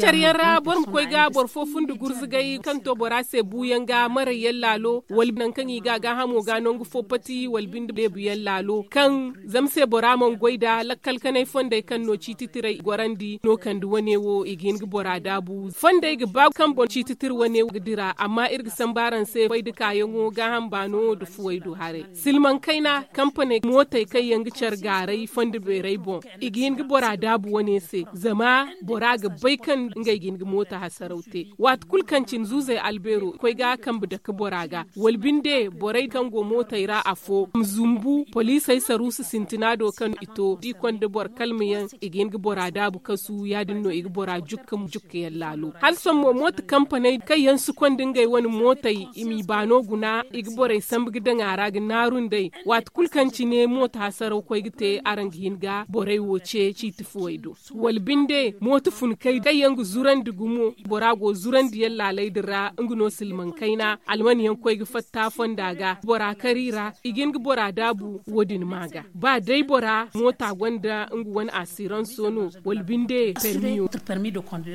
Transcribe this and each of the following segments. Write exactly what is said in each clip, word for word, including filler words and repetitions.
Care yaŋ ra boro ma koy ga boro fo fundi gurzugay kaŋ to bora se buuyaŋ ga maray yaŋ laalo wala nangu kaŋ i ga a gaahamo ga nangu fo pati wala binde leebu yaŋ laalo kaŋ zama se bora mana goy nda lakkal kanay fondey kaŋ no ciiti tiray gorandi no kande wane wo i ga hin ga bora daabu fondey ga ba kaŋ boŋ ciiti tira wane wo ga dira amma iri ga samba araŋ se koy nda kaayaŋo gaaham baano nda fuwey do haray silmaŋ kayna kampaney mootey kaŋ yaŋ ga care gaaray fondo beeray boŋ i ga hin ga bora daabu wane se zama bora ga bay kaŋ ngey ga hin ga mooto hasaraw te waati kulu kaŋ cine zuuzey albeero koy ga kambe dake bora ga wala binde borey kaŋ go mootey ra afo ma zumbu poliisey saruusu sintina do kaŋ i to da i konda boro kalma yaŋ i ga hin ga bora daabu kasu ya- din no i ga bora jukka jukka yaŋ laalo hala sohõ mo mooto kampaney kaŋ yaŋ si konda ngey wane mootey i m'i baano guna i ga borey sambu ga daŋ a ra ga naaru nd'ey waati kulu kaŋ cine mooto hasaraw koy ga te araŋ ga hin ga borey wo ce ciiti fuwey do wala binde mooto funkey kaŋ yaŋ ga zurandi gumo bora go zurandi yaŋ laaley din ra nga no silmaŋ kayna alman yaŋ koy ga fatta fonda ga bora kar i ra i ga hin ga bora daabu wo- din ma ga ba day bora moota gonda nga wane asiranso no wala binde permiyo.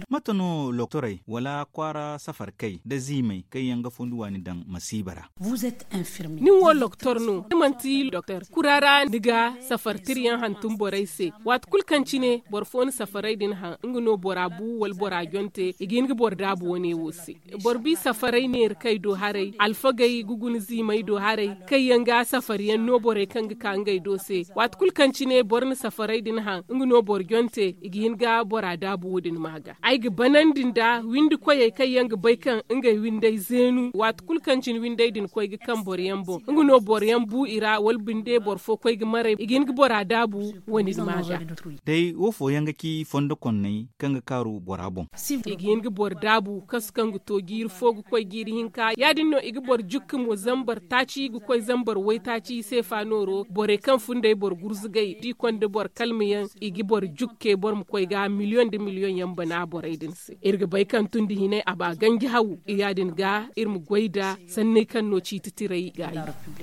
Mate no loktorey wala kwaara safarkey nda ziimey kaŋ yaŋ ga fundi waani daŋ masiiba ra? Nin wo loktor no ni manti doktor kura ra ni ga safar tira yaŋ hantum borey se waati kulu kaŋ cine boro fo na safaray din haŋ nga no bora bu wala bora jonte i ga hin ga boro daabu wane wo se boro bi safaray neera kay do haray alfagey ga guna ziimey do haray kaŋ yaŋ ga safar yaŋ no borey kaŋ ga ka ngey do se waati kulu kaŋ cine boro na safaray din haŋ nga no boro jonte i ga hin ga bora daabu wo- din ma ga ay ga banandi nda windi koyey kaŋ yaŋ ga bay kaŋ ngey windey zeenu waati kulu kaŋ cine windey din koy ga kaŋ boro yaŋ boŋ nga no boro yaŋ bu i ra wala binde boro fo koy ga maray i ga hin ga bora daabu wo- din ma ga. Day wo fooyaŋ ga ci fondo konney kaŋ ga kaaru bora boŋ i ga hin ga boro daabu kasu kaŋ ga to jiiri fo ga koy jiiri hinka ya- din no i ga boro jukka mo zambar taaci ga koy zambar waytaaci seefa nooro borey kaŋ fun day boro gurzugay da i konda boro kalma yaŋ i ga boro jukke boro ma koy ga miliyoŋ nda miliyoŋ yaŋ bana borey din se iri ga bay kaŋ tun da hinay a ba ganji haw ya- din ga iri ma goy nda sanney kaŋ no ciiti tiray ga a yi.